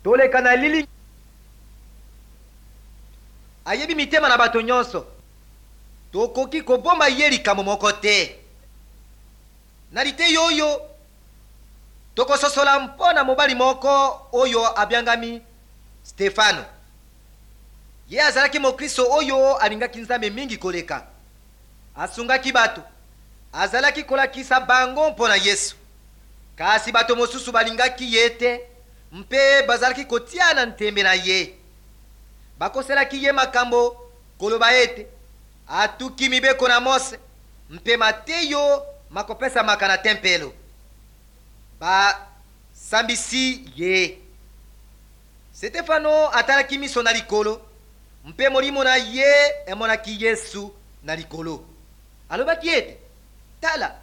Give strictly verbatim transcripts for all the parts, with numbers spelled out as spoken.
Toleka na lili. Ayebi mitema na bato nyonso. Tokoki kobomba ye likambo moko te. Na liteyi oyo tokososola mpo na mobali moko oyo abiangami Stefano. Ye azalaki mokristo oyo alingaki Nzambe mingi koleka. Asungaki bato, azalaki kolakisa bango mpo na Yesu. Kasi bato mosusu balingaki ye te mpe bazalaki kotia na ntembe na ye. Bakoselaki ye makambo, koloba ete atuki mibeko na Mose mpe mateyo makopesamaka na tempelo. Basambisi ye. Stefano atalaki miso na likolo mpe molimo na ye emonaki Yesu na likolo. Alobaki ete, tala,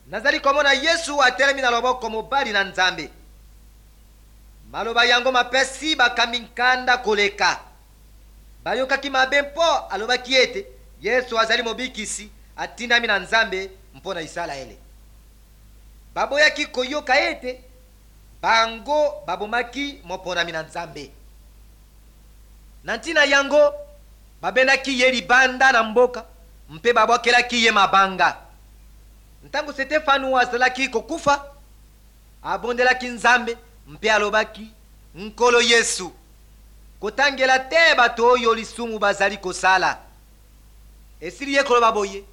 nazali komona Yesu atelemi na loboko mobali na Nzambe. Maloba yango mapesi bakambi nkanda koleka. Bayokaki mabe mpo alobaki ete Yesu azali mobikisi atindami na Nzambe mpo na Isalaele. Baboyaki koyoka ete bango babomaki moponami na Nzambe. Na ntina yango babendaki ye libanda na mboka mpe babwakelaki ye mabanga. Ntango Stefano azalaki kokufa, abondelaki Nzambe mpe alobaki, Nkolo Yesu, kotangela te bato oyo lisumu bazali kosala. Esili ye koloba boye,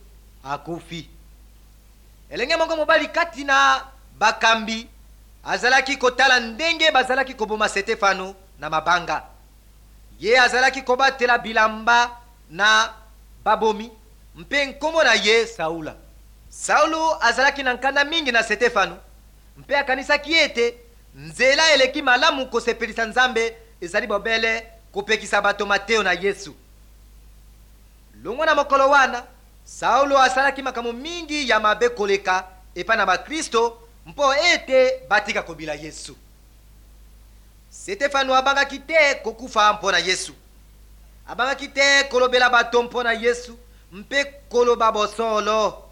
akufi. Elenge moko mobali kati na bakambi azalaki kotala ndenge bazalaki koboma Stefano na mabanga. Ye azalaki kobatela bilamba na babomi mpe nkombo na ye Saula. Saulo azalaki na nkanda mingi na Stefano mpe akanisaki ete nzela eleki malamu kosepelisa Nzambe ezali bobele kopekisa bato mateyo na Yesu. Longwa na mokolo wana, Saulo asalaki makambo mingi ya mabe koleka epai na bakristo mpo ete batika kobila Yesu. Stefano abangaki te kokufa mpo na Yesu. Abangaki te kolobela bato mpo na Yesu mpe koloba bosolo.